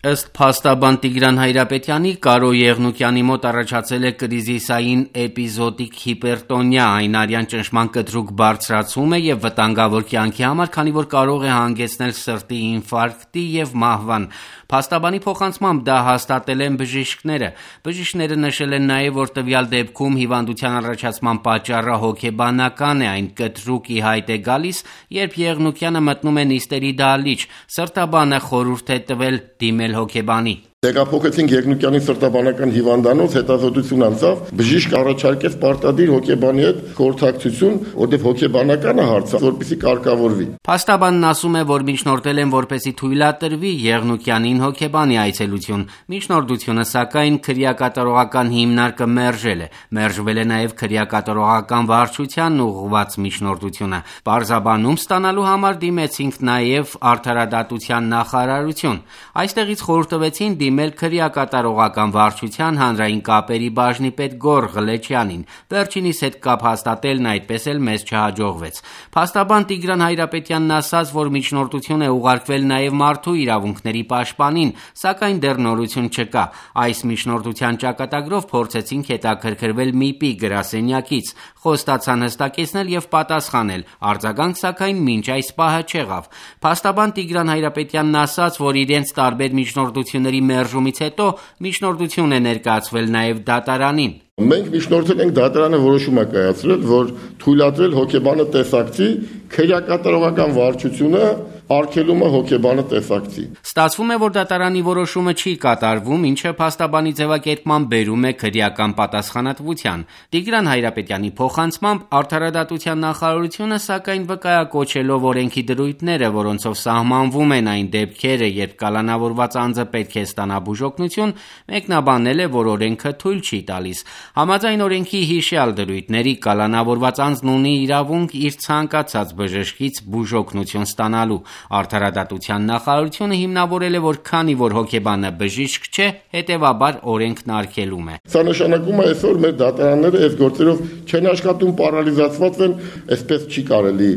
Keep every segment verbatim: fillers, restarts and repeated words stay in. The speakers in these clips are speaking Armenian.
Ըստ փաստաբան Տիգրան Հայրապետյանի, Կարո Եղնուկյանի մոտ առաջացել է կրիզիսային էպիզոդիկ հիպերտոնիա, այն արյան ճնշման կտրուկ բարձրացում է եւ վտանգավոր կյանքի համար, քանի որ կարող է հանգեցնել սրտի ինֆարկտի եւ մահվան։ Փաստաբանի փոխանցմամբ դա հաստատել են բժիշկները։ Բժիշկները նշել են նաեւ, որ տվյալ դեպքում հիվանդության առաջացման պատճառը հոգեբանական է, այն կտրուկ ի հայտ է գալիս, երբ Եղնուկյանը մտնում է նիստերի դահլիճ։ Սրտաբանը խորհուրդ է տվել դիմել հոգեբանի։ Տեղափոխեցինք Եղնուկյանի սրտաբանական հիվանդանոց, հետազոտություն անցավ, բժիշկ առաջարկեց պարտադիր հոգեբանի հետ խորհրդակցություն, որտեղ հոգեբանականը հարցը, որպեսզի կարգավորվի։ Փաստաբանն ասում է, որ միջնորդել են, որպեսզի թույլատրվի Եղնուկյանին հոգեբանի այցելություն։ Միջնորդությունը, սակայն, քրեակատարողական հիմնարկը մերժել է։ Մերժվել է նաև քրեակատարողական վարչությանն ուղղված միջնորդությունը։ Պարզաբանում ստանալու համար դիմեցինք նաև արդարադատության նախարարություն։ Այստեղից խորհուրդ տվեցին դիմել քրեակատարողական վարչության հանրային կապերի բաժնի պետ Գոռ Ղլեչյանին։ Վերջինիս հետ կապ հաստատելն այդպես էլ մեզ չհաջողվեց։ Փաստաբան Տիգրան Հայրապետյանն ասաց, որ միջնորդություն է ուղարկվել նաև մարդու իրավունքների պաշտպանին, սակայն դեռ նորություն չկա։ Այս միջնորդության ճակատագրով փորձեցինք հետաքրքրվել ՄԻՊ-ի գրասենյակից, խոստացան հստակեցնել եւ պատասխանել, արձագանք սակայն մինչ այս պահը չեղավ։ Փաստաբան Տիգրան Հայրապետյանն ասաց, որ իրենց տարբեր միջնորդությունների մերժումից հետո միջնորդություն է ներկայացվել նաև դատարանին։ Մենք միջնորդել ենք դատարանը որոշում է կայացրել, որ թույլատրել հոգեբանը տեսակցի, քրեակատարողական վարչությունը արգելում է հոգեբանը տեսակցի։ Ստացվում է, որ դատարանի որոշումը չի կատարվում, ինչը փաստաբանի ձևակերպման բերում է քրեական պատասխանատվության։ Տիգրան Հայրապետյանի փոխանցմամբ արդարադատության նախարարությունը, սակայն վկայակոչելով օրենքի դրույթները, որոնցով սահմանվում են այն դեպքերը, երբ կալանավորված անձը պետք է ստանա բուժօգնություն, մեկնաբանել է, որ օրենքը թույլ չի տալիս։ Համաձայն օրենքի հիշյալ դրույթների կալանավորված անձն ունի իրավունք իր ցանկացած բժշկից բուժօգնություն ստանալու։ Արդարադատության նախարարությունը հիմնավորել է, որ քանի որ հոգեբանը բժիշկ չէ, հետևաբար օրենքն արգելում է։ Սա նշանակում է այսօր մեր դատարանները այս գործերով չեն աշխատում, պարալիզացված են, այսպես չի կարելի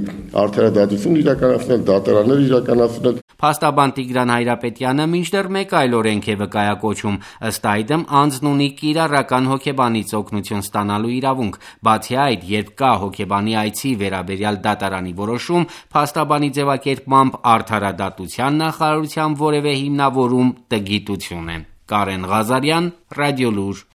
արդարադատություն իրականացնել, դատարաններ իրականացնել։ Փաստաբան Տիգրան Հայրապետյանը մինչդեռ մեկ այլ օրենք է վկայակոչում, ըստ այդմ անձն ունի կիրառական հոգեբանից օգնություն ստանալու իրավունք։ Բացի այդ, երբ կա հոգեբանի այցի վերաբերյալ դատարանի որոշում, փաստաբանի ձևակերպմամբ արդարադատության նախարարության որևէ հիմնավորում տգիտություն է։ Կարեն Ղազարյան, Ռադիոլուր։